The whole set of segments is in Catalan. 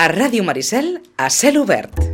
A Ràdio Maricel, a cel obert.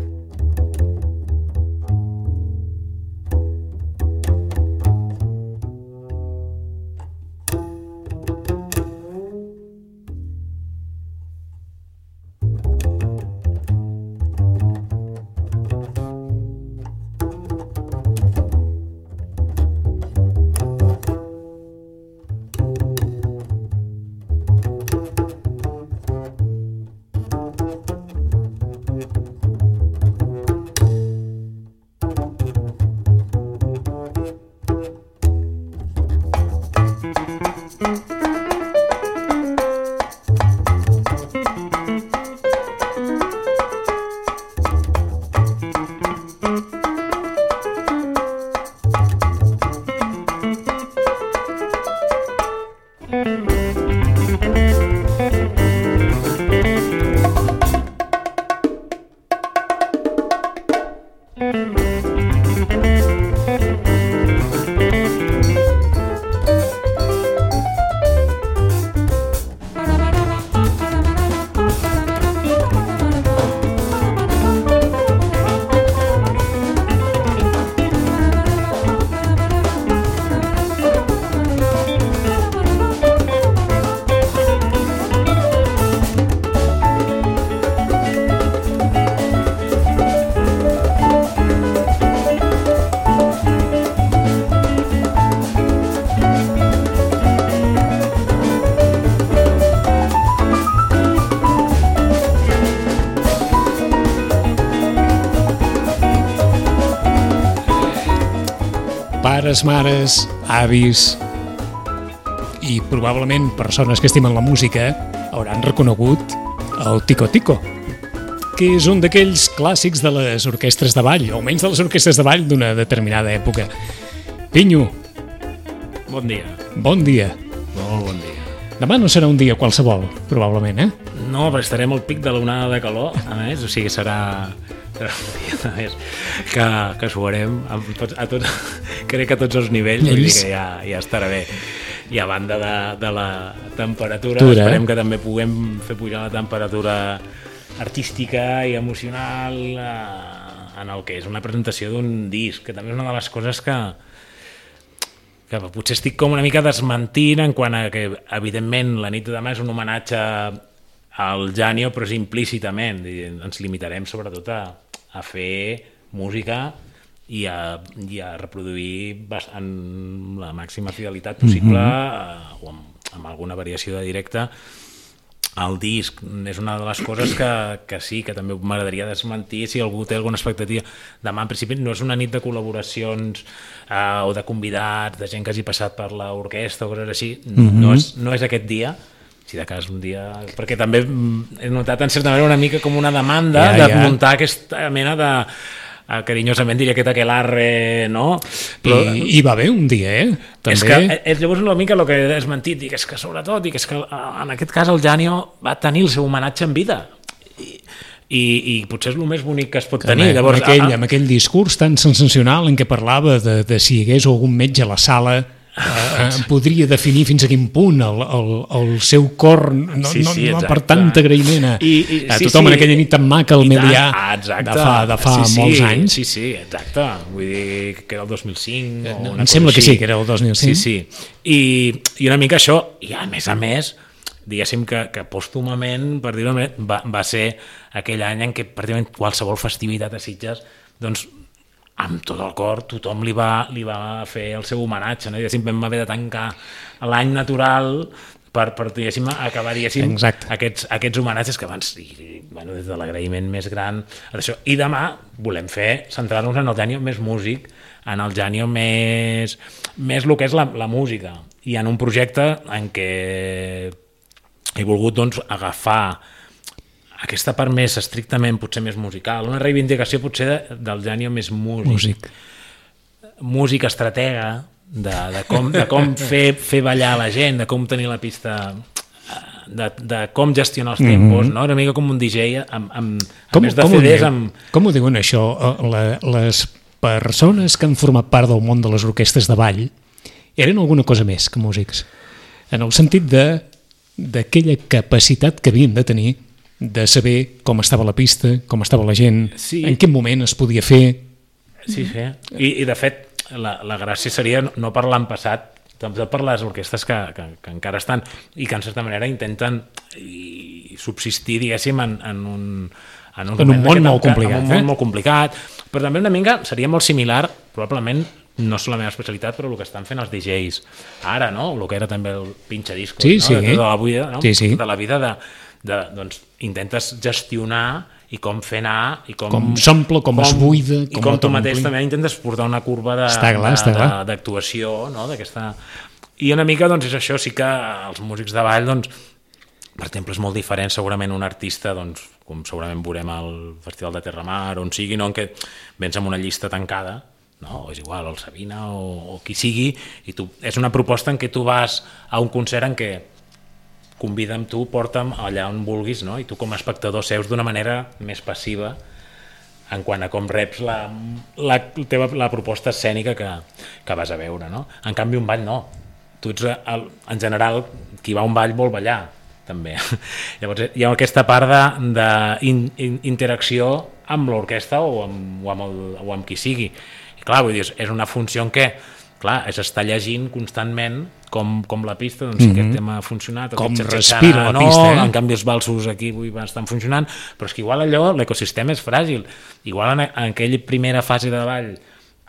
Pares, mares, avis i probablement persones que estimen la música hauran reconegut el Tico Tico, que és un d'aquells clàssics de les orquestres de ball, o almenys de les orquestres de ball d'una determinada època. Pinyo. Bon dia. Bon dia. Molt bon dia. Demà no serà un dia qualsevol, probablement, eh? No, però estarem al pic de l'onada de calor, a més, o sigui, serà un dia més que suarem a tots, crec que a tots els nivells, vull dir que ja estarà bé. I a banda de la temperatura, esperem que també puguem fer pujar la temperatura artística i emocional en el que és una presentació d'un disc, que també és una de les coses que potser estic com una mica desmentint en quant a que, evidentment, la nit de demà és un homenatge al Janio, però és implícitament. Ens limitarem sobretot a fer música i a reproduir amb la màxima fidelitat possible o amb alguna variació de directe el disc. És una de les coses que sí, que també m'agradaria desmentir si algú té alguna expectativa. Demà, en principi, no és una nit de col·laboracions o de convidats, de gent que hagi passat per l'orquestra o coses així. No és aquest dia, si de cas un dia... Perquè també he notat en certa manera una mica com una demanda de muntar aquesta mena de... carinyosament diria aquest aquelarre, no? Però, hi va haver un dia, també. És que és llavors una mica el que he desmentit, dic, és que sobretot, dic, és que en aquest cas el Janio va tenir el seu homenatge en vida i potser és el més bonic que es pot tenir. Llavors, amb aquell discurs tan sensacional en què parlava de si hi hagués algun metge a la sala podria definir fins a quin punt el seu cor no per tant agraïment a tothom en aquella nit tan maca al Melià de fa molts anys. Sí, exacte, vull dir que era el 2005 em sembla que sí, que era el 2005. Sí. I una mica això, i a més diguéssim que pòstumament, per dir-ho bé, va ser aquell any en què pràcticament qualsevol festivitat a Sitges, doncs amb tot el cor, tothom li va fer el seu homenatge, no? Diguéssim, vam haver de tancar l'any natural per diguéssim, acabar aquests homenatges que abans, des de l'agraïment més gran, i demà volem centrar-nos en el Janio més músic, en el Janio més el que és la música, i en un projecte en què he volgut doncs, agafar aquesta part més estrictament, potser més musical, una reivindicació potser del Janio més músic estratega, de com fer ballar la gent, de com tenir la pista, de com gestionar els tempos, no? Una mica com un DJ a més de CDs Com ho diuen això? Les persones que han format part del món de les orquestres de ball eren alguna cosa més que músics, en el sentit d'aquella capacitat que havien de tenir de saber com estava la pista, com estava la gent, Sí. en quin moment es podia fer. Sí. I de fet, la gràcia seria no parlar en passat, també per les orquestres que encara estan i que en certa manera intenten subsistir, diguéssim, en un món molt complicat. En un món molt complicat, però també una mica seria molt similar, probablement no és la meva especialitat, però el que estan fent els DJs ara, no? El que era també el pinxadiscos, Sí, no? sí. De la vida, no? Sí. De la vida doncs intentes gestionar i com fer anar i Com s'omple, com es buida, i com ho tu mateix t'ompli. també intentes portar una curva Està clar. d'actuació, no? D'aquesta... I una mica doncs és això, sí que els músics de ball, doncs, per exemple, és molt diferent segurament un artista, doncs, com segurament veurem al Festival de Terramar, on sigui, no? En què vens amb una llista tancada, no? O és igual, el Sabina o qui sigui, i és una proposta en què tu vas a un concert en què convida'm tu, porta'm allà on vulguis, no? I tu com a espectador seus d'una manera més passiva en quant a com reps la proposta escènica que vas a veure, no? En canvi, un ball no. Tu ets, en general, qui va a un ball vol ballar, també. Llavors, hi ha aquesta part d'interacció amb l'orquestra o amb qui sigui. I clar, vull dir, és una funció en què clar, és estar llegint constantment com la pista, doncs si aquest tema ha funcionat, com respira la pista, en canvi els balsos aquí estan funcionant, però és que igual allò, l'ecosistema és fràgil, igual en aquella primera fase de ball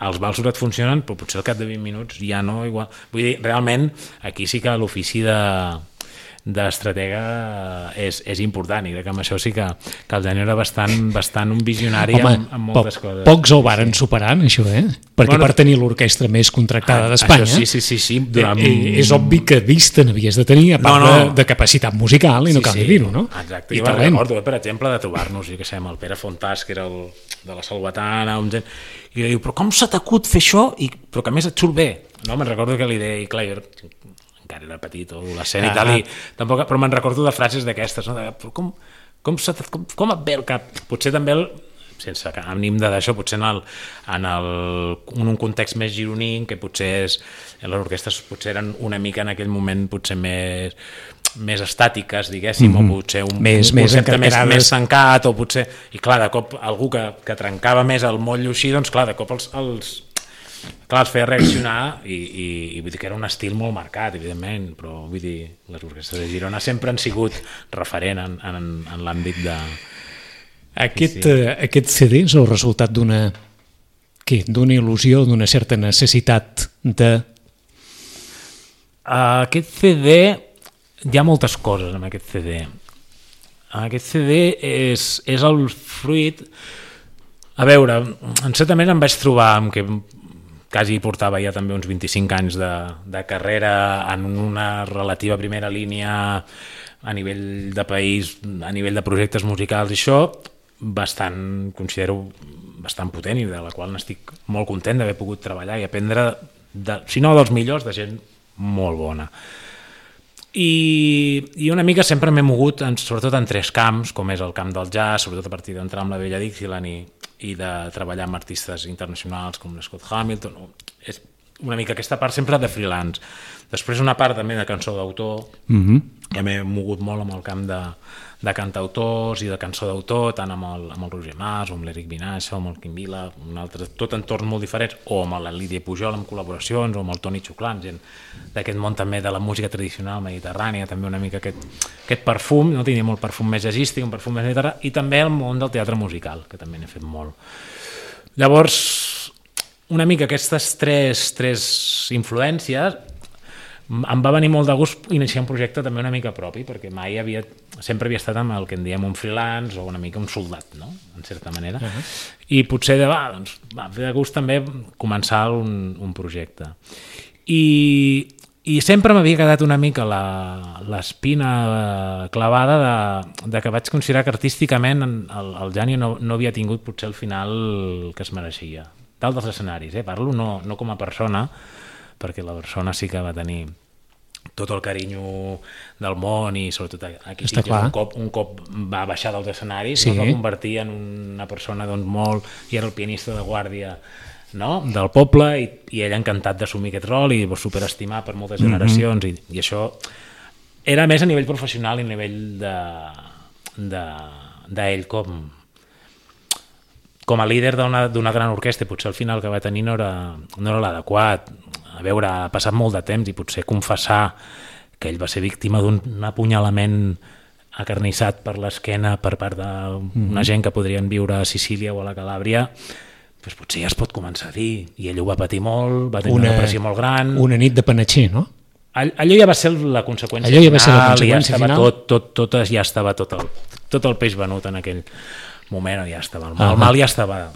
els balsos et funcionen, però potser al cap de 20 minuts ja no, igual, vull dir, realment aquí sí que l'ofici d'estratega és important, i crec que amb això sí que el Dani era bastant un visionari. Home, amb moltes coses. Pocs ho varen superant, això, perquè per tenir l'orquestra més contractada d'Espanya, sí. És obvi que vista n'havies de tenir, a part de capacitat musical, i no cal dir-ho, no? Exacte, jo me'n recordo, per exemple, de trobar-nos, jo què sé, amb el Pere Fontàs, que era el de la Salvatana, i diu, però com s'ha t'acut fer això? Però que a més et surt bé. No, me'n recordo que li deia, i clar, encara era petit, o adolescent i tal, tampoc, però me'n recordo de frases d'aquestes, no? Però com et ve el cap? Potser també, sense ànim de d'això, potser en un context més gironí, que potser les orquestres potser eren una mica en aquell moment potser més estàtiques, diguéssim, o potser un concepte més tancat, o potser... I clar, de cop algú que trencava més el motllo així, doncs clar, de cop els feia reaccionar i vull dir que era un estil molt marcat, evidentment, però vull dir, les orquestres de Girona sempre han sigut referent en l'àmbit de... Aquest CD és el resultat d'una il·lusió, d'una certa necessitat de... Aquest CD... Hi ha moltes coses en aquest CD. Aquest CD és el fruit... A veure, en certa manera em vaig trobar amb que quasi portava ja també uns 25 anys de carrera en una relativa primera línia a nivell de país, a nivell de projectes musicals, i això considero bastant potent, i de la qual n'estic molt content d'haver pogut treballar i aprendre, si no dels millors, de gent molt bona. I una mica sempre m'he mogut sobretot en tres camps, com és el camp del jazz, sobretot a partir d'entrar amb la vella Dixieland i de treballar amb artistes internacionals com Scott Hamilton. És una mica aquesta part sempre de freelance. Després una part també de cançó d'autor, ja m'he mogut molt amb el camp de cantautors i de cançó d'autor, tant amb el Roger Mas, o amb l'Eric Vinaixa, o amb el Quim Vila, tot entorns molt diferents, o amb la Lídia Pujol amb col·laboracions, o amb el Toni Xuclán, gent d'aquest món també de la música tradicional mediterrània, també una mica aquest perfum, no tenia molt perfum més jazzístic, un perfum més mediterrani, i també el món del teatre musical, que també n'he fet molt. Llavors, una mica aquestes tres influències, em va venir molt de gust iniciar un projecte també una mica propi, perquè sempre havia estat amb el que en diem un freelance o una mica un soldat, no? En certa manera. I potser va fer de gust també començar un projecte. I sempre m'havia quedat una mica l'espina clavada de que vaig considerar que artísticament el Jani no havia tingut potser el final que es mereixia. Dalt dels escenaris, parlo no com a persona, perquè la persona sí que va tenir tot el carinyo del món, i sobretot aquí un cop va baixar dels escenaris, es va convertir en una persona molt... i era el pianista de guàrdia, no? Del poble, i ell encantat d'assumir aquest rol i superestimat per moltes generacions, i això era més a nivell professional i a nivell d'ell com a líder d'una gran orquestra, i potser al final que va tenir no era l'adequat. A veure, ha passat molt de temps i potser confessar que ell va ser víctima d'un apunyalament acarnissat per l'esquena per part d'una gent que podrien viure a Sicília o a la Calàbria, doncs potser ja es pot començar a dir. I ell ho va patir molt, va tenir una depressió molt gran. Una nit de panatxer, no? Allò ja va ser la conseqüència final. Allò ja va ser la conseqüència final. Ja estava tot el peix venut en aquell moment, ja estava el mal ja estava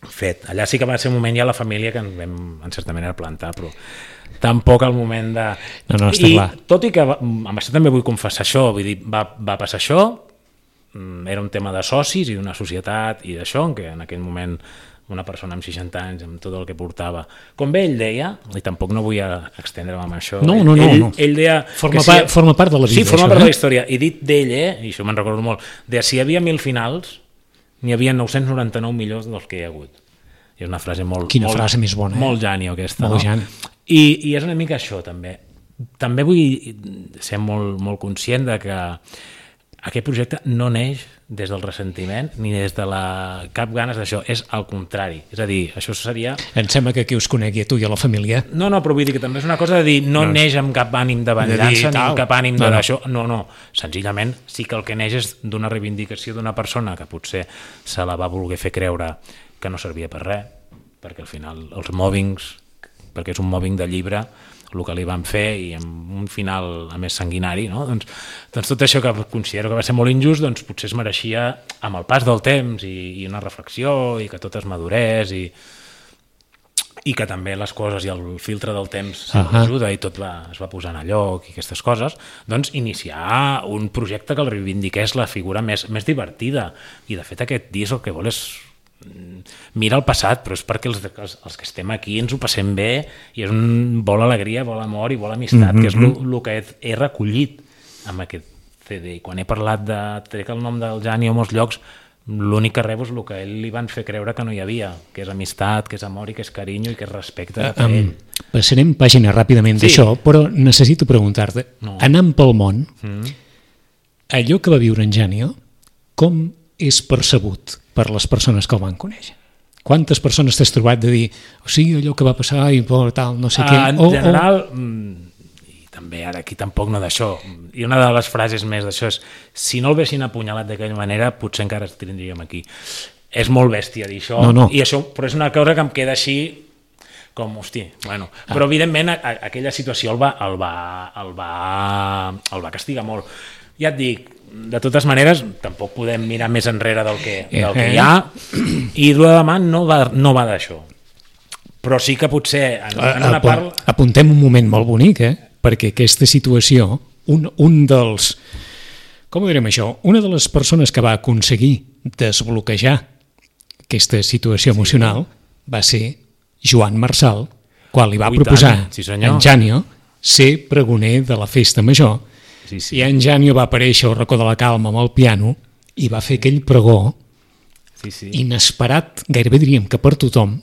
fet. Allà sí que va ser un moment ja la família que ens vam en certa manera plantar, però tampoc el moment de... No, està clar. Tot i que amb això també vull confessar això, vull dir, va passar això, era un tema de socis i d'una societat i d'això, en què en aquell moment una persona amb 60 anys, amb tot el que portava, com bé ell deia, i tampoc no vull extendre'm amb això, no. Ell deia... Forma part de la vida. Sí, forma part de la història, i dit d'ell, i això me'n recordo molt, de si hi havia 1.000 finals, n'hi havia 999 millors dels que hi ha hagut. I és una frase molt... Quina frase més bona, molt Janio, aquesta. Molt Jan. I és una mica això, també. També vull ser molt, molt conscient de que aquest projecte no neix des del ressentiment ni des de cap ganes d'això, és al contrari. És a dir, això seria... Em sembla que qui us conegui a tu i a la família... No, però vull dir que també és una cosa de dir no neix amb cap ànim de venjança ni amb cap ànim d'això. No. Senzillament sí que el que neix és d'una reivindicació d'una persona que potser se la va voler fer creure que no servia per res, perquè al final els mobbings, perquè és un mobbing de llibre, el que li van fer, i amb un final a més sanguinari, no? Doncs tot això que considero que va ser molt injust, doncs potser es mereixia amb el pas del temps i una reflexió, i que tot es madurés, i que també les coses i el filtre del temps ajuda i tot es va posant a lloc i aquestes coses, doncs iniciar un projecte que el reivindiqués la figura més divertida. I de fet aquest disc el que vol és mira el passat, però és perquè els que estem aquí ens ho passem bé i és vol alegria, vol amor i vol amistat, que és el que he recollit amb aquest CD. Quan he parlat trec el nom del Jani a molts llocs, l'únic que rebo és el que ell li van fer creure que no hi havia, que és amistat, que és amor i que és carinyo i que és respecte per ell. Passarem pàgina ràpidament d'això, però necessito preguntar-te, anant pel món, allò que va viure en Janio, com és percebut per les persones que el van conèixer? Quantes persones t'has trobat de dir allò que va passar i tal, no sé què? En general, i també ara aquí tampoc no d'això, i una de les frases més d'això és si no el vessin apunyalat d'aquella manera potser encara el tindríem aquí. És molt bèstia dir això, i això, però és una cosa que em queda així com, bueno. Però evidentment aquella situació el va castigar molt. Ja et dic, de totes maneres, tampoc podem mirar més enrere del que hi ha, i el de demà no va d'això. Però sí que potser en una part... Apuntem un moment molt bonic, perquè aquesta situació, un dels... Com ho direm això? Una de les persones que va aconseguir desbloquejar aquesta situació emocional va ser Joan Marçal, quan li va proposar en Janio ser pregoner de la festa major. I en Janio va aparèixer al racó de la calma amb el piano i va fer aquell pregó inesperat, gairebé diríem que per tothom.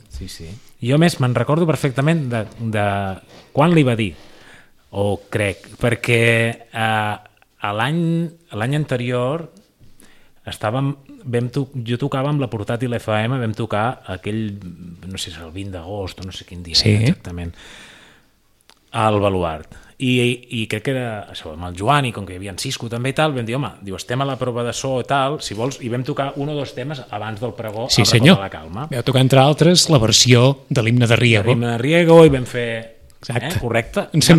Jo més me'n recordo perfectament de quan li va dir, o crec, perquè l'any anterior jo tocava amb la portàtil FM, vam tocar aquell, no sé si és el 20 d'agost o no sé quin dia exactament, al Baluart. I crec que era això, amb el Joan, i com que hi havia en Cisco també i tal, vam dir, estem a la prova de so i tal, si vols, i vam tocar un o dos temes abans del pregó al racó de la calma. Vau tocar, entre altres, la versió de l'himne de Riego. L'himne de Riego, i vam fer... Correcte? Ens fem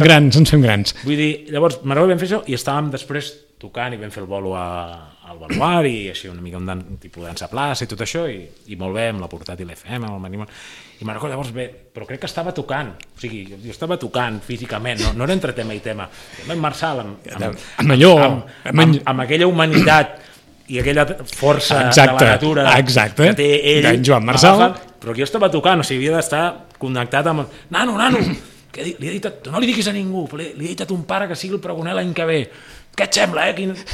grans. Vull dir, llavors, vam fer això, i estàvem després tocant, i vam fer el bolo al Baluart, i així una mica un tipus de dansa plaça i tot això, i molt bé, amb la portàtil FM, amb el Manimon. I me'n recordo llavors bé, però crec que estava tocant, o sigui, jo estava tocant físicament, no era entre tema i tema. Amb Marçal, amb aquella humanitat i aquella força de la natura que té ell, Joan Marçal, però jo estava tocant, o sigui, havia d'estar connectat amb... Nano, que li he dit, no li diguis a ningú, li he dit a ton pare que sigui el pregoner l'any que ve. Què et sembla,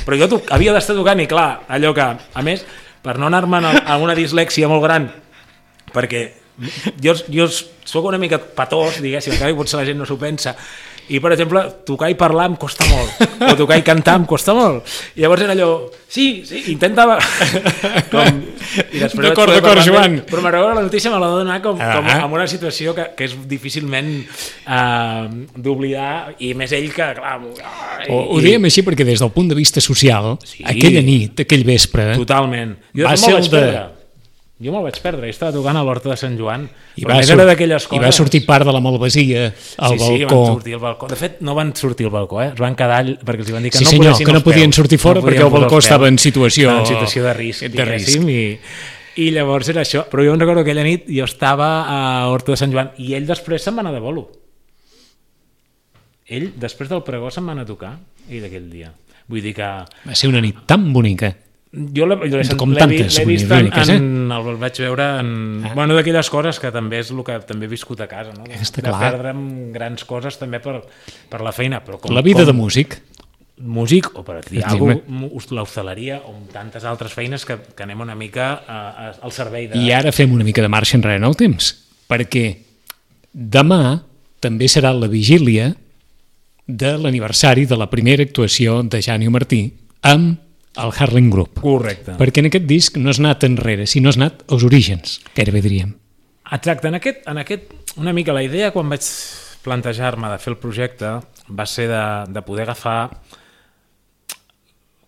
Però jo havia d'estar tocant, i clar, allò que, a més, per no anar-me'n a una dislèxia molt gran, perquè jo soc una mica patós, diguéssim, encara que potser la gent no s'ho pensa, I, per exemple, tocar i parlar em costa molt, o tocar i cantar em costa molt. I llavors era allò, sí, intentava... D'acord, Joan. Però m'agrada la notícia, me l'ha de donar com en una situació que és difícilment d'oblidar, i més ell que, clar... Ho dèiem així perquè des del punt de vista social, aquella nit, aquell vespre... Totalment. Jo me'l vaig perdre, i estava tocant a l'Horta de Sant Joan, I va sortir part de la malvasia al balcó. Sí, van sortir al balcó. De fet, no van sortir al balcó, es van quedar perquè els van dir que que no podien sortir fora perquè el balcó estava en situació de risc. I llavors era això. Però jo em recordo que aquella nit jo estava a Horta de Sant Joan i ell després se'n va anar de bolo. Ell, després del pregó, se'n va anar a tocar, ell d'aquell dia. Vull dir que... Va ser una nit tan bonica. Jo l'he vist el vaig veure en... Bueno, d'aquelles coses que també és el que també he viscut a casa, no? De perdre'm grans coses també per la feina. Però la vida de músic. Músic, o per dir alguna cosa, l'hostaleria, o tantes altres feines que anem una mica al servei de... I ara fem una mica de marxa enrere en el temps, perquè demà també serà la vigília de l'aniversari de la primera actuació de Jani Martí amb el Harlem Group. Correcte. Perquè en aquest disc no has anat enrere, sinó has anat als orígens, gairebé diríem. Exacte. En aquest, una mica la idea quan vaig plantejar-me de fer el projecte va ser de poder agafar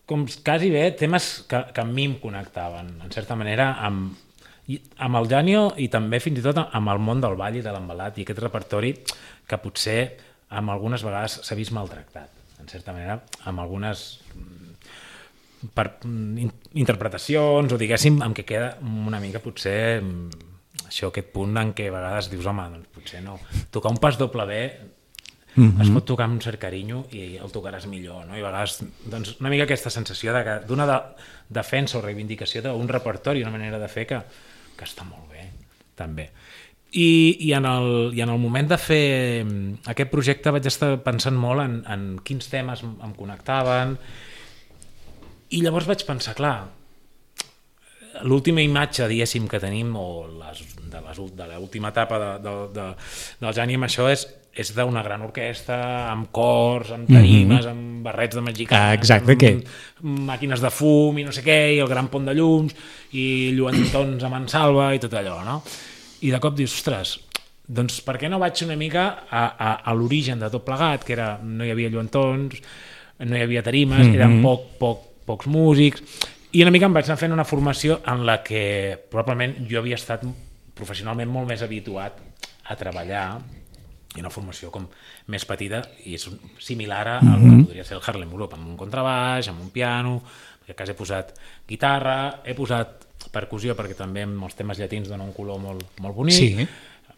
com quasi bé temes que a mi em connectaven, en certa manera, amb el Janio i també fins i tot amb el món del ball i de l'embalat i aquest repertori que potser amb algunes vegades s'ha vist maltractat, en certa manera, amb algunes interpretacions o diguéssim amb què queda una mica potser això, aquest punt en què a vegades dius home, doncs potser no, tocar un pas doble B es pot tocar amb un cert carinyo i el tocaràs millor, no? I a vegades doncs, una mica aquesta sensació d'una defensa o reivindicació d'un repertori, una manera de fer que està molt bé també. I en el moment de fer aquest projecte vaig estar pensant molt en quins temes em connectaven. I llavors vaig pensar, clar, l'última imatge, diguéssim, que tenim, o de l'última etapa del Jani amb això és d'una gran orquestra, amb cors, amb tarimes, amb barrets de mexicans, amb màquines de fum i no sé què, i el gran pont de llums, i lluentons a mansalva i tot allò, no? I de cop dius, ostres, doncs per què no vaig una mica a l'origen de tot plegat, que era, no hi havia lluentons, no hi havia tarimes, eren pocs músics, i una mica em vaig anar fent una formació en la que probablement jo havia estat professionalment molt més habituat a treballar, i una formació com més petita i és similar al que podria ser el Harlem Group, amb un contrabaix, amb un piano, en aquest cas he posat guitarra, he posat percussió perquè també amb els temes llatins dona un color molt bonic,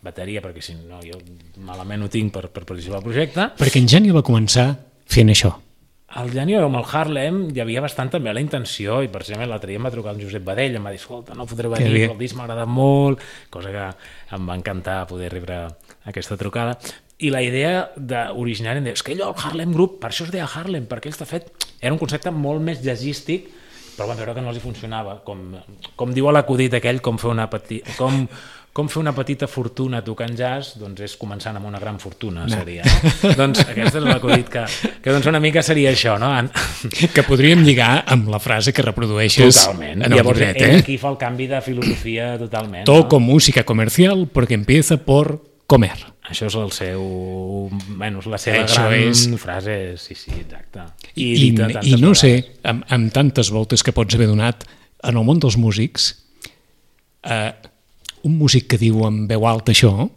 bateria perquè si no jo malament ho tinc per participar al projecte. Perquè en Jani va començar fent això. El Jani amb el Harlem hi havia bastant també la intenció, i per exemple l'altre dia em va trucar el Josep Badell, em va dir, escolta, no podré venir, el disc m'ha agradat molt, cosa que em va encantar poder rebre aquesta trucada. I la idea originària és que allò, el Harlem Group, per això es deia Harlem, perquè ells de fet era un concepte molt més jazzístic, però van veure que no els hi funcionava, com diu l'acudit aquell, com fer una petita fortuna tocant jazz, doncs és començant amb una gran fortuna, seria. No? Doncs aquest és l'acudit que doncs una mica seria això, no? Que podríem lligar amb la frase que reprodueixes totalment. En el llavors, llibret. Aquí fa el canvi de filosofia totalment. Toco música comercial porque empieza por comer. Això és el seu... Bueno, la seva gran frase, sí, exacte. I no sé, amb tantes voltes que pots haver donat en el món dels músics, un músic que diu en veu alta això,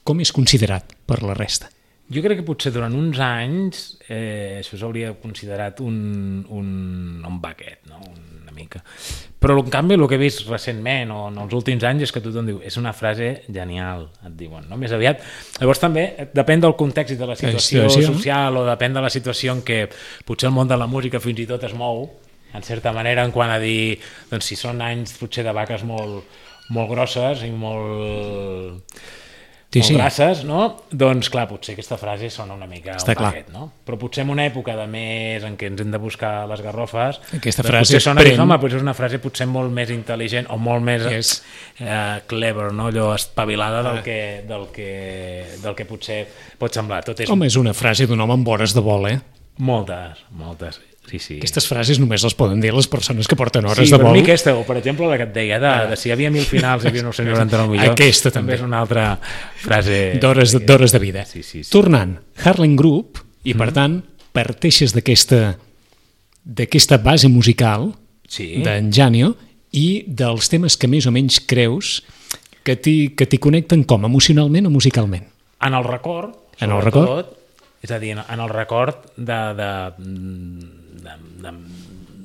com és considerat per la resta? Jo crec que potser durant uns anys això s'hauria considerat un baquet, no? Una mica. Però en canvi el que he vist recentment o en els últims anys és que tothom diu és una frase genial, et diuen, no? Més aviat. Llavors també depèn del context i de la situació social o depèn de la situació en què potser el món de la música fins i tot es mou, en certa manera, en quant a dir, doncs si són anys potser de vaques molt grosses i molt Sí, sí. grasses, no? Doncs clar, potser aquesta frase sona una mica Està un clar. paquet, no? Però potser en una època de més en què ens hem de buscar les garrofes, Aquesta doncs frase potser sona pren- home, potser és una frase potser molt més intel·ligent o molt més Yes. clever, no? Allò espavilada del que potser pot semblar. Tot és Home, és una frase d'un home amb hores de vol, moltes. Sí. Aquestes frases només les poden dir les persones que porten hores Sí, de però vol. a mi aquesta, o per exemple la que et deia, de si hi havia 1.000 finals i hi havia 999 millors, Aquesta també. és una altra frase... D'hores de vida. Sí. Tornant, Harlem Group, i per tant, parteixes d'aquesta base musical Sí. d'en Janio i dels temes que més o menys creus que t'hi connecten com, emocionalment o musicalment? En el record, En el sobretot, és a dir, en el record de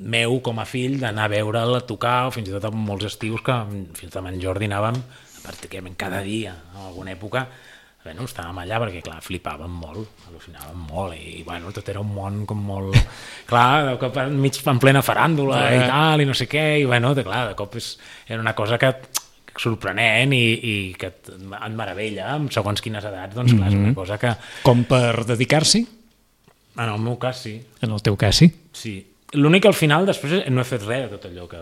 meu com a fill d'anar a veure'l tocar, o fins i tot en molts estius que fins amb en Jordi anàvem pràcticament cada dia, en alguna època estàvem allà perquè, clar, flipàvem molt, al·lucinàvem molt, i bueno, tot era un món com molt... Clar, de cop enmig en plena faràndula i tal, i no sé què, i bueno, clar, de cop era una cosa que sorprenent i que et meravella amb segons quines edats, doncs clar, és una cosa que... Com per dedicar-s'hi? En el meu cas, sí. En el teu cas, sí? Sí. L'únic que al final després no he fet res de tot allò que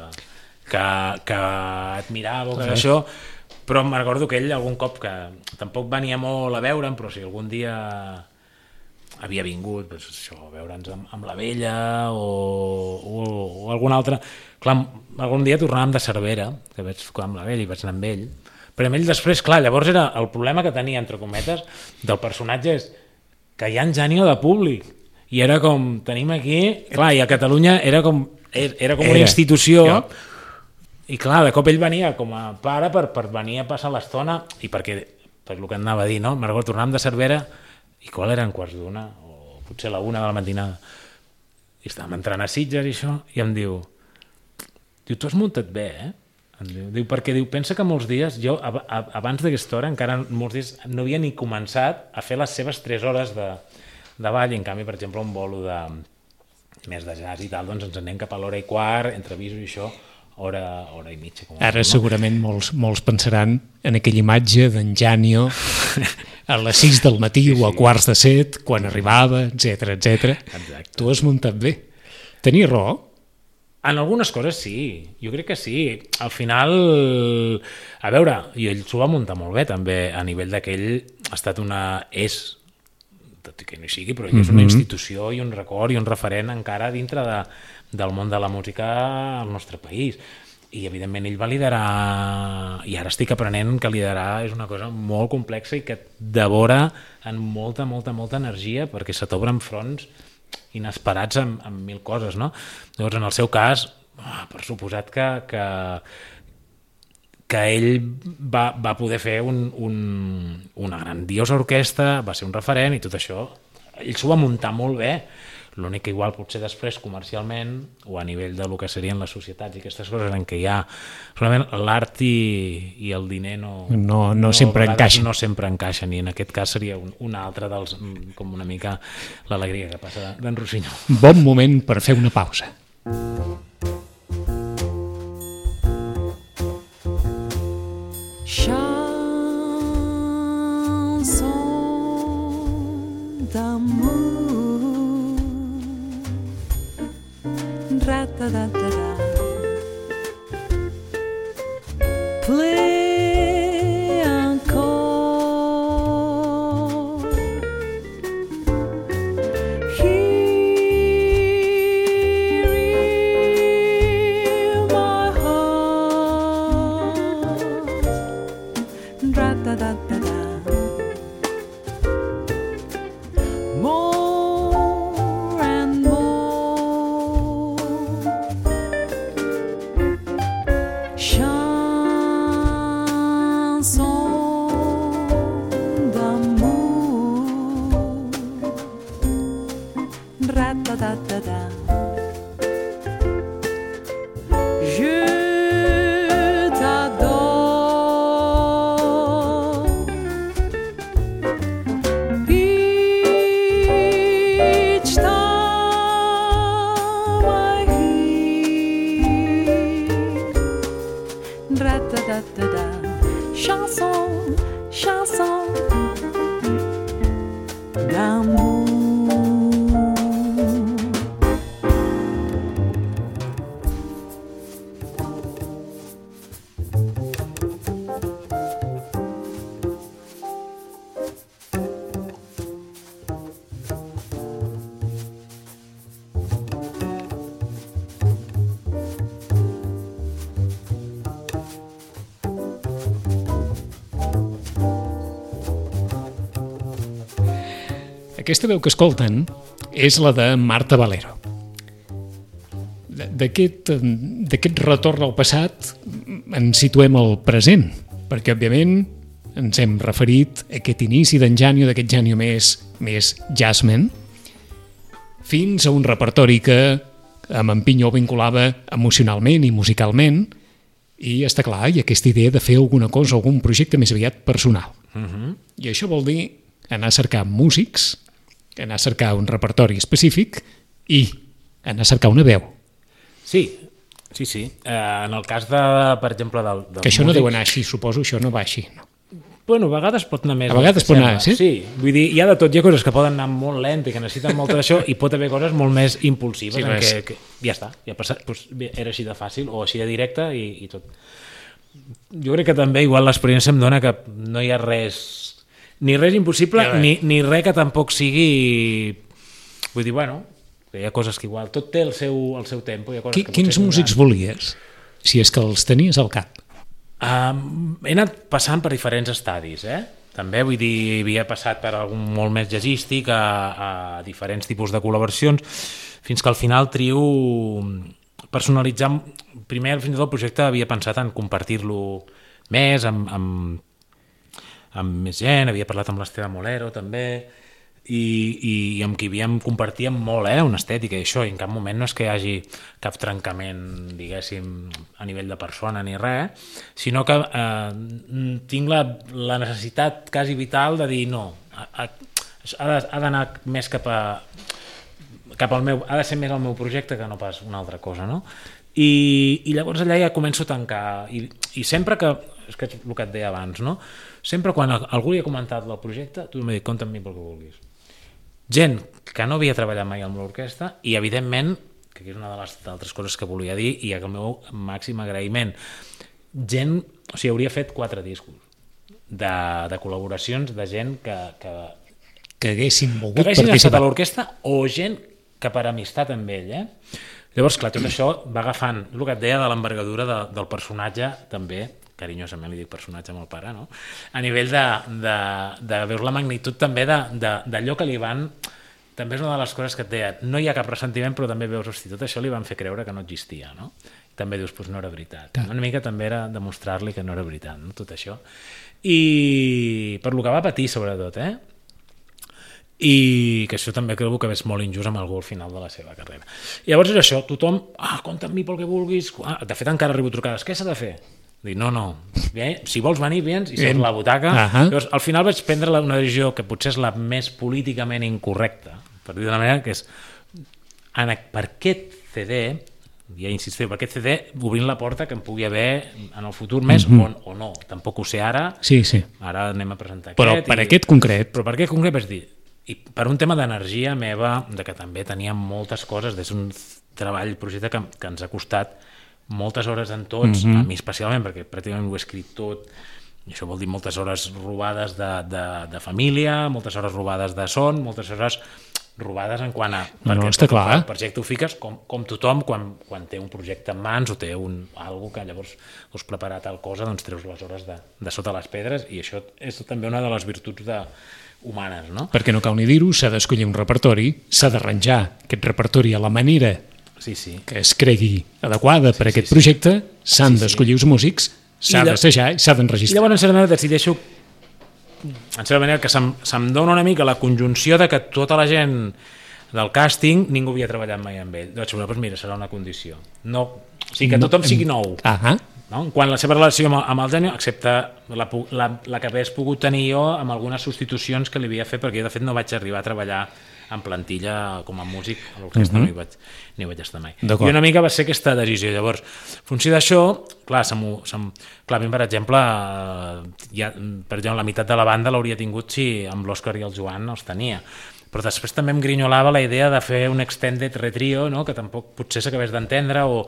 admirava o que això, però me'n recordo que ell algun cop, que tampoc venia molt a veure'm, però si algun dia havia vingut, doncs això, a veure'ns amb la vella o algun altre... Clar, algun dia tornàvem de Cervera, que vaig tocar amb la vella i vaig anar amb ell, però amb ell després, clar, llavors era el problema que tenia, entre cometes, del personatge és que hi ha en Janio de públic, i era com, tenim aquí... Clar, i a Catalunya era com una institució, i clar, de cop ell venia com a pare per venir a passar l'estona, i per el que anava a dir, no? Me'n recordo, tornàvem de Cervera, i qual eren quarts d'una, o potser la 1 de la matinada, i estàvem entrant a Sitges i això, i em diu, tu has muntat bé, eh? Diu, perquè pensa que molts dies, jo abans d'aquesta hora encara molts dies no havia ni començat a fer les seves 3 hores de ball, i en canvi, per exemple, un bolo més de jazz i tal, doncs ens anem cap a l'hora i quart, entre avisos i això, hora i mitja. Ara segurament molts pensaran en aquella imatge d'en Janio a les 6 del matí o a quarts de 7, quan arribava, etc. Exacte. Tu has muntat bé. Tenies raó? En algunes coses sí, jo crec que sí. Al final, a veure, i ell s'ho va muntar molt bé també, a nivell que ell ha estat tot i que no hi sigui, però ell és una institució i un record i un referent encara dintre del món de la música al nostre país. I evidentment ell va liderar, i ara estic aprenent que liderar és una cosa molt complexa i que et devora en molta energia, perquè se t'obren fronts inesperats amb 1000 coses, no? Llavors, en el seu cas, per suposat que ell va poder fer una grandiosa orquestra, va ser un referent i tot això, ell s'ho va muntar molt bé. L'únic que igual potser després comercialment o a nivell de lo que serien les societats i aquestes coses en què hi ha solament l'art i el diner no sempre encaixen. No sempre encaixen, i en aquest cas seria un altre dels, com una mica l'alegria que passa d'en Rossinyol. Bon moment per fer una pausa. Chanson d'amour, ra-ta-da-da-da, play encore, hear my heart, ra-ta-da-da-da. More and more, chanson d'amour, ra-ta-ta-ta-ta. Je t'adore. Each time I hear ra-ta-ta-ta-ta, chanson, chanson Aquesta veu que escolten és la de Marta Valero. D'aquest retorn al passat ens situem al present, perquè, òbviament, ens hem referit a aquest inici d'en Janio, d'aquest Janio més jazzman, fins a un repertori que amb en Pinyó vinculava emocionalment i musicalment, i està clar, hi ha aquesta idea de fer alguna cosa, algun projecte més aviat personal. I això vol dir anar a cercar músics, anar a cercar un repertori específic i anar a cercar una veu. Sí. En el cas de, per exemple, que això no deu anar així, suposo, això no va així, no? Bueno, a vegades pot anar més. A vegades pot anar, sí? Sí, vull dir, hi ha de tot, hi ha coses que poden anar molt lent i que necessiten molt d'això, i pot haver coses molt més impulsives, sí, que ja està, ja ha passat, doncs, era així de fàcil o així de directe i tot. Jo crec que també igual l'experiència em dona que no hi ha res, ni res impossible, ni res que tampoc sigui... Vull dir, bueno, que hi ha coses que igual, tot té el seu tempo. Hi ha coses que quins músics volies, si és que els tenies al cap? He anat passant per diferents estadis, també, vull dir, havia passat per algun molt més jazzístic a diferents tipus de col·laboracions, fins que al final trio personalitzar. Primer, fins i tot el projecte havia pensat en compartir-lo més amb més gent, havia parlat amb l'Esteve Molero també, i amb qui compartíem molt una estètica i això, i en cap moment no és que hi hagi cap trencament, diguéssim, a nivell de persona ni res, sinó que tinc la necessitat quasi vital de dir no, ha d'anar més cap al meu, ha de ser més el meu projecte que no pas una altra cosa, no? I llavors allà ja començo a tancar, i sempre que, és que és el que et deia abans, no? Sempre quan algú li ha comentat el projecte, tu m'ha dit, compta amb mi pel que vulguis. Gent que no havia treballat mai amb l'orquestra i, evidentment, que és una de les altres coses que volia dir i el meu màxim agraïment, gent, o sigui, hauria fet 4 discos de col·laboracions de gent que haguessin volgut estat participar a l'orquestra o gent que per amistat amb ell, Llavors, clar, tot això va agafant el que et deia de l'envergadura del personatge, també, carinyosament li dic personatge amb el pare, no? A nivell de veure la magnitud també d'allò que li van... També és una de les coses que et deia, no hi ha cap ressentiment, però també veus, hosti, tot això li van fer creure que no existia, no? I també dius, doncs no era veritat. Una mica també era demostrar-li que no era veritat, no? Tot això. I per lo que va patir, sobretot, i que això també creu que és molt injust amb algú al final de la seva carrera. I llavors és això, tothom, compta amb mi pel que vulguis, de fet encara arribo trucades, què s'ha de fer? Dic, no, si vols venir, vens, i seus la butaca. Llavors, al final vaig prendre una decisió que potser és la més políticament incorrecta, per dir d'una manera, que és per aquest CD, ja insistiu, per aquest CD, obrint la porta que em pugui haver en el futur més o no, tampoc ho sé ara, ara anem a presentar però aquest. Per aquest concret Vaig dir, i per un tema d'energia meva, de que també teníem moltes coses, és un treball, projecte que ens ha costat moltes hores en tots, a mi especialment, perquè pràcticament ho he escrit tot, i això vol dir moltes hores robades de família, moltes hores robades de son, moltes hores robades en quant a... No, està clar. El projecte ho fiques com tothom quan té un projecte en mans o té algo que llavors us prepara tal cosa, doncs treus les hores de sota les pedres, i això és també una de les virtuts humanes, no? Perquè no cal ni dir-ho, s'ha d'escollir un repertori, s'ha d'arranjar aquest repertori a la manera que es cregui adequada per aquest projecte, s'han d'escollir els músics, s'ha d'assajar i s'ha d'enregistrar. I llavors, en certa manera, decideixo que se'm dona una mica la conjunció de que tota la gent del càsting ningú havia treballat mai amb ell. Doncs mira, serà una condició. No, o sigui, que tothom sigui nou. No? Quan la seva relació amb el Janio, excepte la que hagués pogut tenir jo amb algunes substitucions que li havia fet, perquè jo de fet no vaig arribar a treballar en plantilla com a músic a l'orquestra, no hi vaig estar mai. I una mica va ser aquesta decisió. Llavors, en funció d'això, clar, a mi, per exemple, la meitat de la banda l'hauria tingut si amb l'Òscar i el Joan els tenia. Però després també em grinyolava la idea de fer un extended retrio, no? Que tampoc potser s'acabés d'entendre, o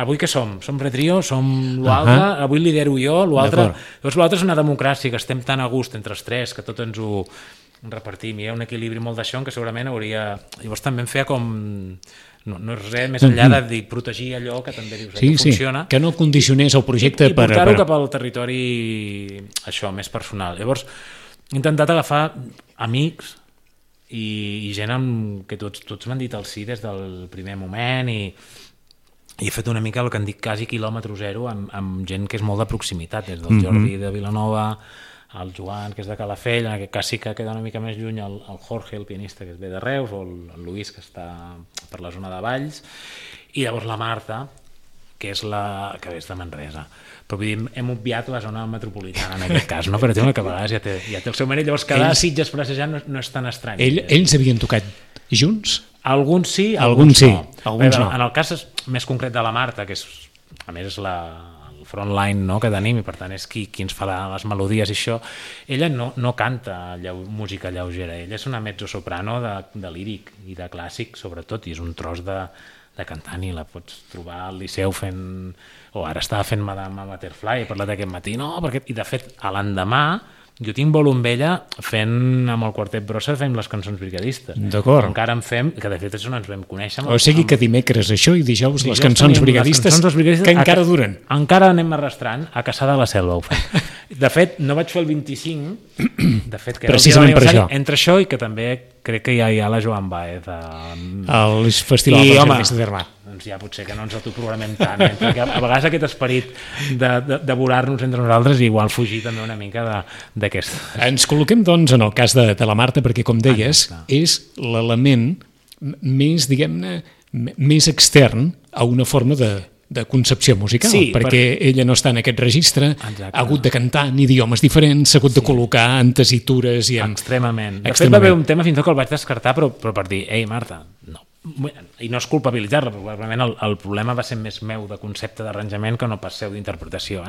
avui què som? Som retrio? Som l'altre? Avui lidero jo? L'altre? Llavors l'altre és una democràcia, que estem tan a gust entre els tres, que tot ens ho repartim. Hi ha un equilibri molt d'això en què segurament hauria... Llavors també em feia com... No és res més enllà de dir, protegir allò que també dius que funciona. Que no condicionés el projecte i portar-ho cap al territori això, més personal. Llavors he intentat agafar amics i gent amb que tots m'han dit el sí des del primer moment i he fet una mica el que en dic quasi quilòmetre zero amb gent que és molt de proximitat, des del Jordi de Vilanova, el Joan, que és de Calafell, en aquest cas sí que queda una mica més lluny el Jorge, el pianista, que ve de Reus, o el Luis, que està per la zona de Valls, i llavors la Marta, que és que és de Manresa. Però vull dir, hem obviat la zona metropolitana en aquest cas, no? Per exemple, que a vegades ja té el seu mèrit, llavors cada Sitges passejant no és tan estrany. Ells havien tocat junts? Alguns sí, alguns sí. Alguns no. En el cas més concret de la Marta, que és, a més és el frontline, no?, que tenim, i per tant és qui ens farà les melodies i això, ella no canta música lleugera, ella és una mezzosoprano de líric i de clàssic sobretot, i és un tros de cantant, i la pots trobar al Liceu fent, o ara estava fent Madame Butterfly, he parlat aquest matí, i de fet a l'endemà jo tinc vol amb ella fent amb el Quartet Brossa fem les cançons brigadistes. D'acord. Encara en fem, que de fet és on ens vam conèixer. O sigui que dimecres això i dijous les cançons brigadistes que encara duren. Encara anem arrastrant a Caçà de la Selva ho fem. De fet, no vaig fer el 25, de fet, que era precisament per això. Entre això i que també crec que ja hi ha la Joan Baez al Festival dels Artistes d'Hermà. Doncs ja potser que no ens autoprogramem tant, perquè a vegades aquest esperit de devorar-nos entre nosaltres i igual fugir també una mica d'aquest. Ens col·loquem doncs en el cas de la Marta, perquè com deies, és l'element més, diguem-ne, més extern a una forma de concepció musical, perquè ella no està en aquest registre, ha hagut de cantar en idiomes diferents, s'ha hagut de col·locar en tesitures i en... Extremament. De fet va haver un tema fins i tot que el vaig descartar, però per dir, ei Marta, no. I no és culpabilitzar-la, probablement el problema va ser més meu de concepte d'arranjament que no pas seu d'interpretació,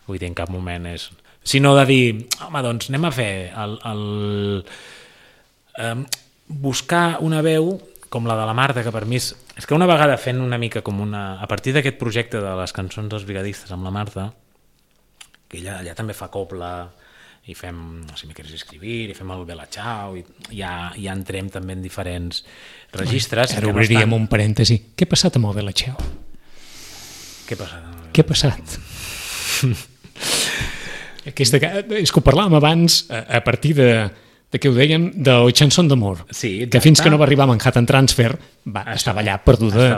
vull dir, en cap moment és... Sinó de dir, home, doncs anem a fer buscar una veu com la de la Marta, que per mi és que una vegada fent una mica com a partir d'aquest projecte de les cançons dels brigadistes amb la Marta, que ella allà també fa copla i fem, si me quieres escribir, i fem el Bella Ciao, i ja entrem també en diferents registres. Ara obriríem un parèntesi. Què ha passat amb el Bella Ciao? Què ha passat? Què ha passat? És que ho parlàvem abans a partir de què ho dèiem, del Chanson d'Amor, que fins que no va arribar a Manhattan Transfer estava allà perduda.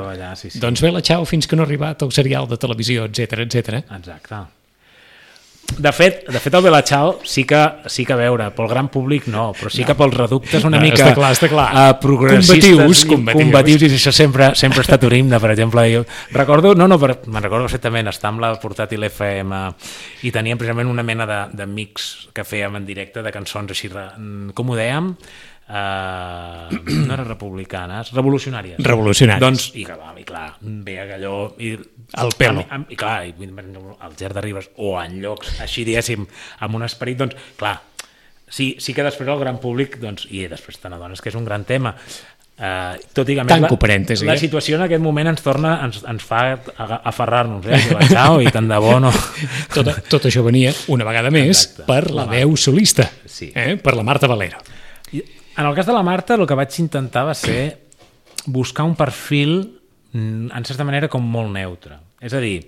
Doncs Bella Ciao fins que no ha arribat al serial de televisió, etc. Exacte. De fet, el Bella Ciao sí que a veure, pel gran públic no, però sí que pels reductes una mica està clar. Progressistes, combatius, i això sempre ha estat un himne, per exemple. Jo recordo, me'n recordo perfectament estar amb la portàtil FM i teníem precisament una mena de mix que fèiem en directe de cançons així, com ho dèiem? No era republicanes, revolucionàries. Doncs, i clar, ve allò el pelo, i clar, el Ger de Ribes o en llocs així, diguéssim, amb un esperit, doncs clar, sí que després el gran públic, doncs, i després te n'adones que és un gran tema, tot i que més la situació en aquest moment ens fa aferrar-nos, i tant de bo no. Tot això venia una vegada més per la veu solista, per la Marta Valero. En el cas de la Marta, el que vaig intentar va ser buscar un perfil, en certa manera, com molt neutre. És a dir,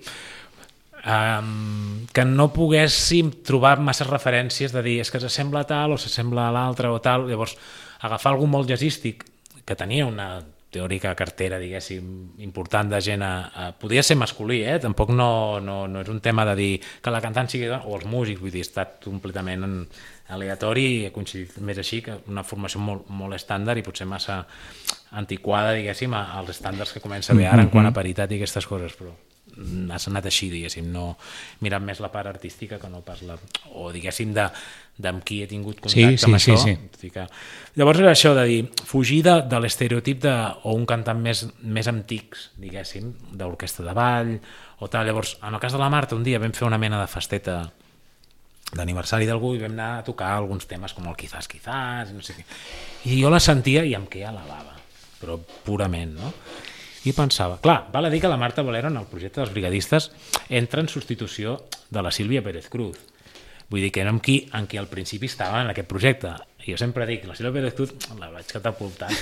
que no poguéssim trobar masses referències de dir és que s'assembla a tal o s'assembla a l'altre o tal. Llavors, agafar algú molt jazzístic, que tenia una teòrica cartera, diguéssim, important de gent podia ser masculí, tampoc no és un tema de dir que la cantant sigui dona, o els músics, vull dir, ha estat completament aleatori i ha coincidit més així, que una formació molt estàndard i potser massa antiquada, diguéssim, als estàndards que comença a haver ara en quant a paritat i aquestes coses, però ha anat així, diguéssim, no mirant més la part artística que no pas o diguéssim amb qui he tingut contacte amb això. Llavors era això de dir, fugir de l'estereotip o un cantant més antics, diguéssim, d'orquestra de ball o tal. Llavors, en el cas de la Marta, un dia vam fer una mena de festeta d'aniversari d'algú i vam anar a tocar alguns temes com el Quizás, no sé què. I jo la sentia i em queia la bava, però purament, no? I pensava, clar, val a dir que la Marta Valero en el projecte dels brigadistes entra en substitució de la Sílvia Pérez Cruz. Vull dir que era en qui al principi estava en aquest projecte. I jo sempre dic, la Sílvia Pérez Cruz la vaig catapultar,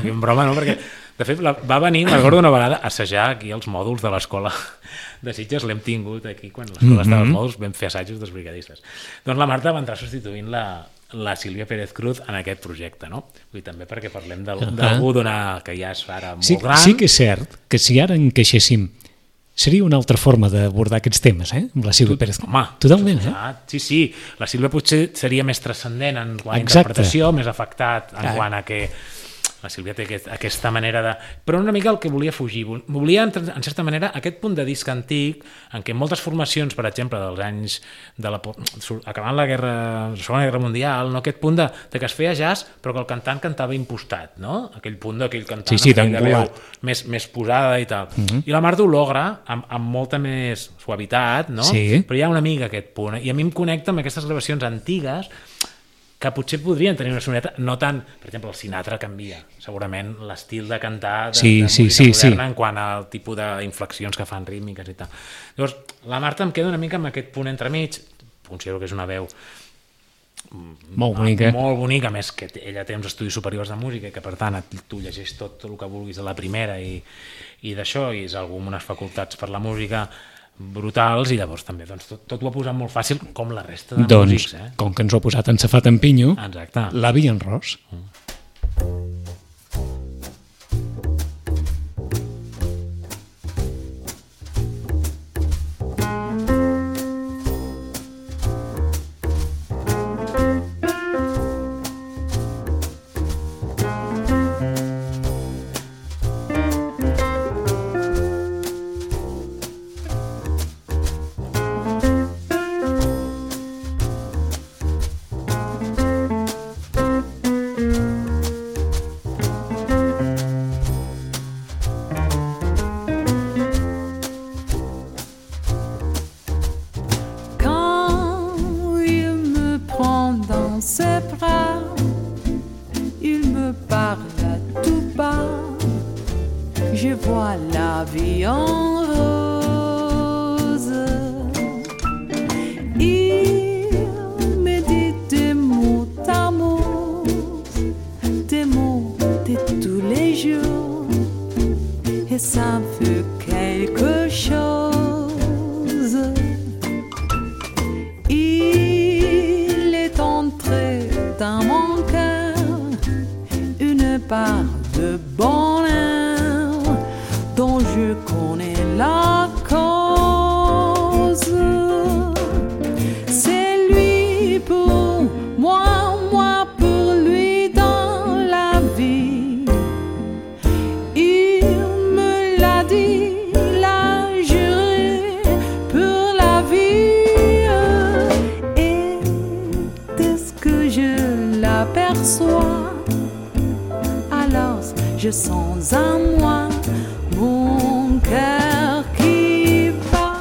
en broma, no? Perquè de fet va venir, me'n recordo una vegada, a assajar aquí els mòduls de l'escola de Sitges, l'hem tingut aquí, quan l'escola estava als mòduls vam fer assajos dels brigadistes. Doncs la Marta va entrar substituint la Sílvia Pérez Cruz en aquest projecte, no? Vull dir, també perquè parlem d'algú que ja és ara molt gran. Sí que és cert que si ara encaixéssim seria una altra forma d'abordar aquests temes, amb la Sílvia Pérez. Home, totalment, Sí. La Sílvia potser seria més transcendent en quant a Exacte. Interpretació, més afectat en quant a que la Sílvia té aquesta manera de... Però una mica el que volia fugir. Volia, en certa manera, aquest punt de disc antic en què moltes formacions, per exemple, dels anys acabant la Segona Guerra Mundial, no? Aquest punt de que es feia jazz però que el cantant cantava impostat, no? Aquell punt d'aquell cantant Sí, amb aquella veu d'angulat. més posada i tal. I la Marta ho logra amb molta més suavitat, no? Sí. Però hi ha una mica aquest punt. I a mi em connecta amb aquestes gravacions antigues que potser podrien tenir una sonoritat, no tant, per exemple, el Sinatra canvia, segurament, l'estil de cantar de música moderna en quant al tipus d'inflexions que fan rítmiques i tal. Llavors, la Marta em queda una mica amb aquest punt entremig, considero que és una veu molt bonica. Molt bonica, més que ella té uns estudis superiors de música i que, per tant, tu llegeix tot el que vulguis de la primera i d'això, i és algú amb unes facultats per la música brutals, i llavors també tot ho ha posat molt fàcil, com la resta de músics. Com que ens ho ha posat en Safat en Pinyo, l'avi en Ros. Je sens en moi mon cœur qui bat.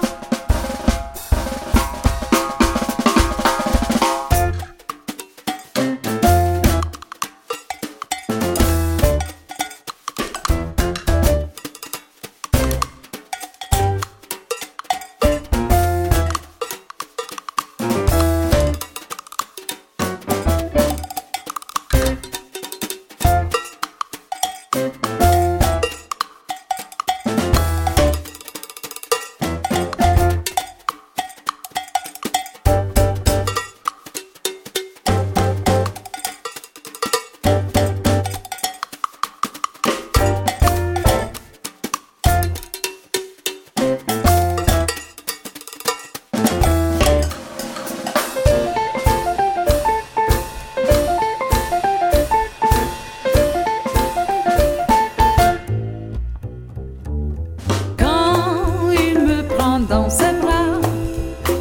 Dans ses bras,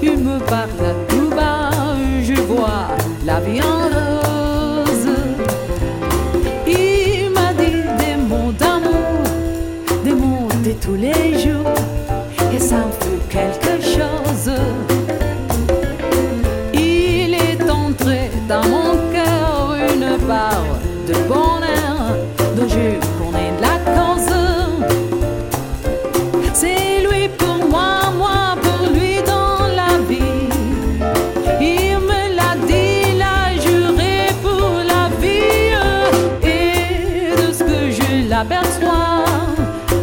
il me parle à tout bas, je vois la vie en rose. Il m'a dit des mots d'amour, des mots de tous les jours, et ça me fait quelque chose. Il est entré dans mon cœur une part de bonheur dont je connais la cause. C'est lui pour moi. L'aperçois,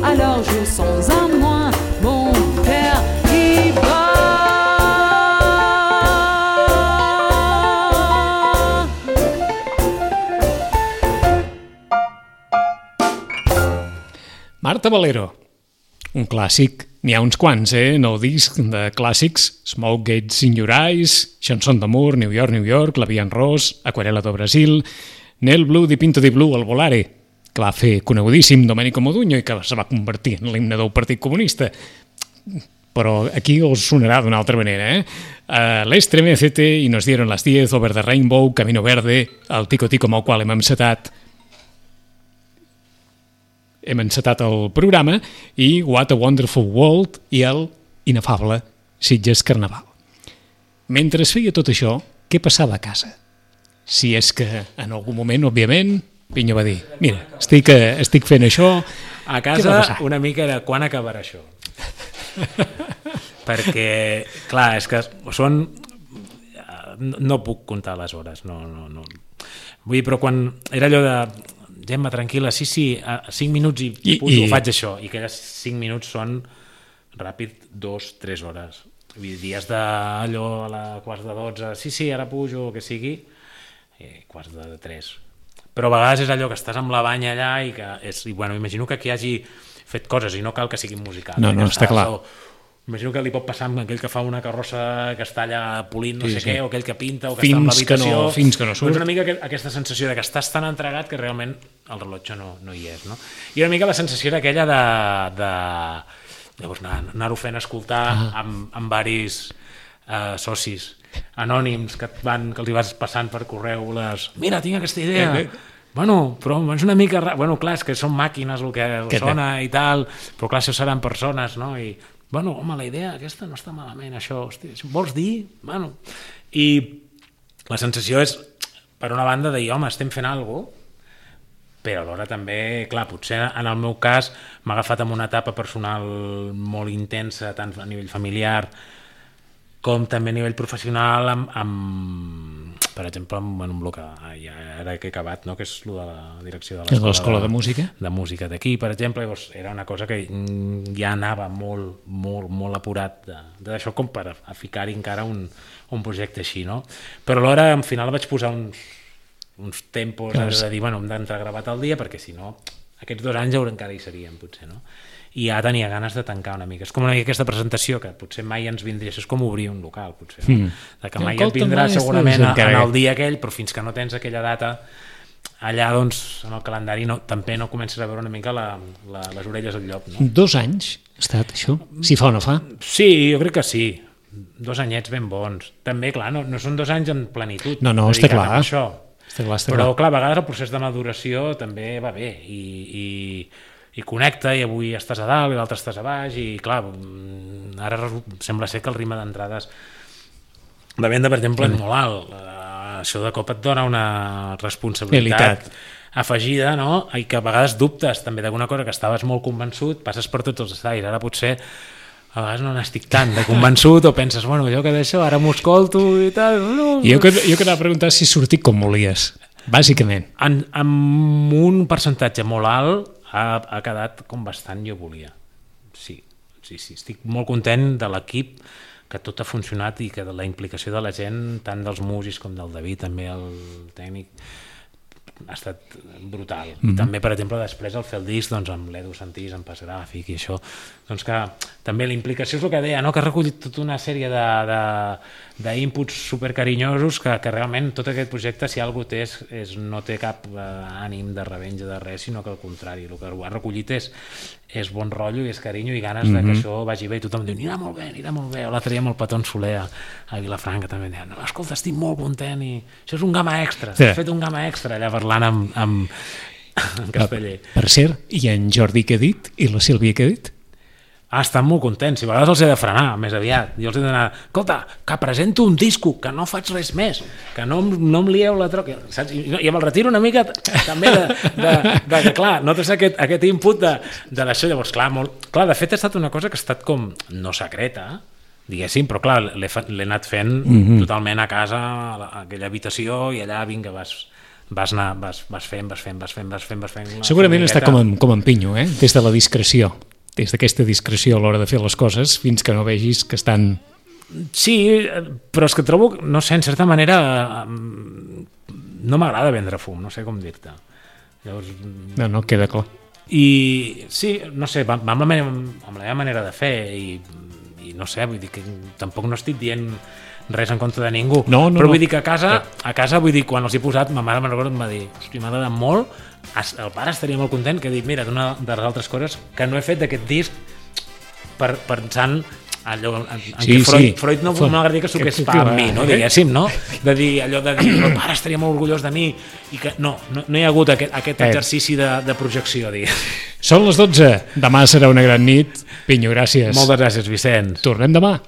alors je sens en moi mon cœur qui bat. Marta Valero, un clàssic, n'hi ha uns quants, en el disc de clàssics, Smoke Gets in Your Eyes, Chanson d'amor, New York, New York, La Via en Ros, Aquarela do Brasil, Nel Blue di Pinto di Blue, el Volare, que va fer conegudíssim Domenico Modugno i que se va convertir en l'himne del Partit Comunista. Però aquí us sonarà d'una altra manera, l'Estremecete i Nos dieron las 10, Over the Rainbow, Camino Verde, el Tico Tico amb el qual hem encetat el programa, i What a Wonderful World i el inefable Sitges Carnaval. Mentre es feia tot això, què passava a casa? Si és que en algun moment, òbviament, Pinyo va dir, mira, estic fent això... A casa una mica era quan acabarà això. Perquè, clar, és que són... No puc comptar les hores, no. Vull dir, però quan era allò de... Gemma, tranquil·la, sí, 5 minuts i pujo, faig això. I aquelles 5 minuts són ràpid 2-3 hores. Vull dir, dies d'allò a la quarts de 12, sí, ara pujo, o que sigui, quarts de 3. Però a vegades és allò que estàs amb la banya allà i que bueno, imagino que qui hagi fet coses i no cal que siguin musicals. No, està clar. Imagino que li pot passar amb aquell que fa una carrossa que està allà polint no sé què, o aquell que pinta, o que està en l'habitació. Fins que no surt. És una mica aquesta sensació de que estàs tan entregat que realment el rellotge no hi és. No? I una mica la sensació era aquella de llavors anar-ho fent escoltar amb varis socis anònims que els hi vas passant per correu mira, tinc aquesta idea, bueno, però és una mica... Bueno, clar, és que són màquines el que sona i tal, però clar, això seran persones, no? I, bueno, home, la idea aquesta no està malament, això, hosti, vols dir? Bueno, i la sensació és, per una banda, de dir, home, estem fent alguna cosa, però alhora també, clar, potser en el meu cas m'ha agafat en una etapa personal molt intensa, tant a nivell familiar com també a nivell professional per exemple, amb el que ara que he acabat, no? Que és el de la direcció de l'Escola de Música. De música d'aquí, per exemple, llavors era una cosa que ja anava molt apurat d'això com per a ficar-hi encara un projecte així, no? Però alhora, al final, vaig posar uns tempos de dir, bueno, hem d'entrar gravat al dia perquè si no, aquests 2 anys encara hi serien, potser, no? I ja tenia ganes de tancar una mica. És com una mica aquesta presentació que potser mai ens vindria, és com obrir un local, potser, no? De que mai et vindrà segurament en el dia aquell, però fins que no tens aquella data allà, doncs, en el calendari també no comences a veure una mica les orelles al llop, no? 2 anys ha estat això? Si fa o no fa? Sí, jo crec que sí. 2 anyets ben bons. També, clar, no són 2 anys en plenitud. No, està clar. Això. Però, clar, a vegades el procés de maduració també va bé i connecta, i avui estàs a dalt i l'altre estàs a baix, i clar, ara sembla ser que el ritme d'entrades de venda, per exemple, és molt alt. Això de cop et dona una responsabilitat afegida, no? I que a vegades dubtes també d'alguna cosa que estaves molt convençut, passes per tots els estais, ara potser a vegades no n'estic tant de convençut, o penses, bueno, jo que d'això ara m'ho escolto i tal. No. Jo que anava a preguntar si sortit com volies, bàsicament. Amb un percentatge molt alt ha quedat com bastant jo volia. Sí, estic molt content de l'equip, que tot ha funcionat i que la implicació de la gent, tant dels músics com del David, també el tècnic, ha estat brutal. I també, per exemple, després el fer el disc amb l'Edu Santís, en pas gràfic i això, doncs que també la implicació és el que deia, no? Que ha recollit tota una sèrie d'inputs supercarinyosos que realment tot aquest projecte, si algú té, no té cap ànim de revenja de res, sinó que al contrari, el que ha recollit és bon rotllo i és carinyo i ganes de que això vagi bé, i tothom diu, anirà molt bé, o l'altre dia amb el Patón Soler a Vilafranca també deia, no, escolta, estic molt content i això és un gamma extra, has fet un gamma extra allà parlant amb casteller. Per cert, i en Jordi què ha dit? I la Sílvia què ha dit? Estan molt contents, i a vegades els he de frenar més aviat, jo els he d'anar, escolta, que presento un disco, que no faig res més, que no em lieu la troca, saps? I me'l retiro una mica també de clar, notes aquest input de l'això, llavors clar, de fet ha estat una cosa que ha estat com no secreta, diguéssim, però clar, l'he anat fent totalment a casa, a aquella habitació, i allà vinga, vas fent. Segurament està com en Pinyo, des de la discreció. Des d'aquesta discreció a l'hora de fer les coses fins que no vegis que estan... Sí, però és que trobo, no sé, en certa manera no m'agrada vendre fum, no sé com dir-te. Llavors... No, queda clar. I sí, no sé, va amb la meva manera de fer i no sé, vull dir que tampoc no estic dient res en contra de ningú, però vull dir que a casa vull dir, quan els he posat, ma mare me'n recordo, em va dir, hosti, m'ha agradat molt, el pare estaria molt content, que dic, mira, una de les altres coses que no he fet d'aquest disc pensant allò en què Freud no m'agradaria que s'ho hagués fa amb mi, no? Diguéssim, no? De dir allò de dir, el pare estaria molt orgullós de mi i que no hi ha hagut aquest exercici de projecció, diguéssim. Són les 12, demà serà una gran nit. Pinyo, gràcies. Moltes gràcies, Vicenç. Tornem demà.